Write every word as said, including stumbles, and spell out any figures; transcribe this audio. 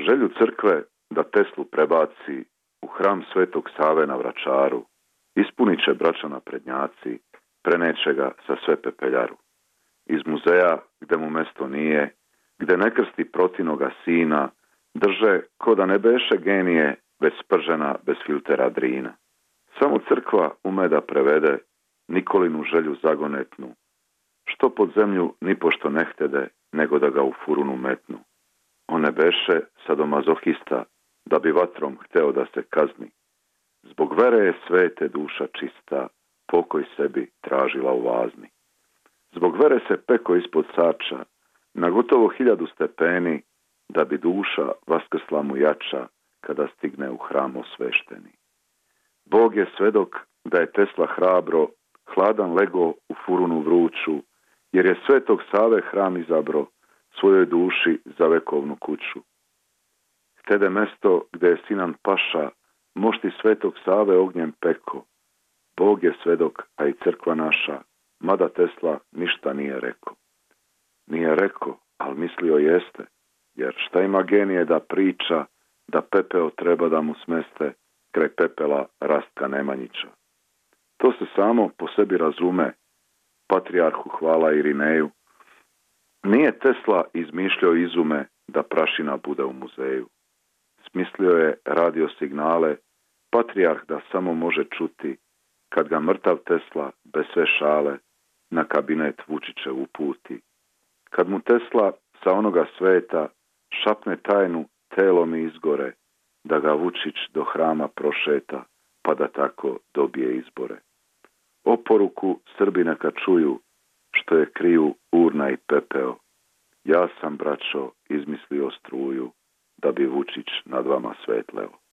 Želju crkve da Teslu prebaci u hram Svetog Save na Vračaru ispunit će braća naprednjaci, preneće ga sa sve pepeljaru. Iz muzeja, gde mu mesto nije, gde ne krsti protinoga sina, drže ko da ne beše genije, već spržena bez filtera drina. Samo crkva ume da prevede Nikolinu želju zagonetnu, što pod zemlju nipošto ne htede, nego da ga u furunu metnu. On ne beše sadomazohista, da bi vatrom hteo da se kazni. Zbog vere je svete duša čista, pokoj sebi tražila u vazni. Zbog vere se peko ispod sača, na gotovo hiljadu stepeni, da bi duša vaskrsla mu jača, kada stigne u hram osvešteni. Bog je svedok da je Tesla hrabro, hladan lego u furunu vruću, jer je Svetog Save hram izabro, svojoj duši za vekovnu kuću. Htede mesto gde je Sinan Paša, mošti Svetog Save ognjem peko. Bog je svedok, a i crkva naša, mada Tesla ništa nije rekao. Nije rekao, ali mislio jeste, jer šta ima genije da priča, da pepeo treba da mu smeste, kraj pepela Rastka Nemanjića. To se samo po sebi razume, patrijarhu hvala Irineju. Nije Tesla izmišljao izume da prašina bude u muzeju. Smislio je radio signale, patrijarh da samo može čuti, kad ga mrtav Tesla bez sve šale na kabinet Vučiće uputi. Kad mu Tesla sa onoga sveta šapne tajnu, telo mi izgore, da ga Vučić do hrama prošeta, pa da tako dobije izbore. Oporuku Srbi neka čuju, što je kriju urna i pepeo. Ja sam, braćo, izmislio struju, da bi Vučić nad vama svetleo.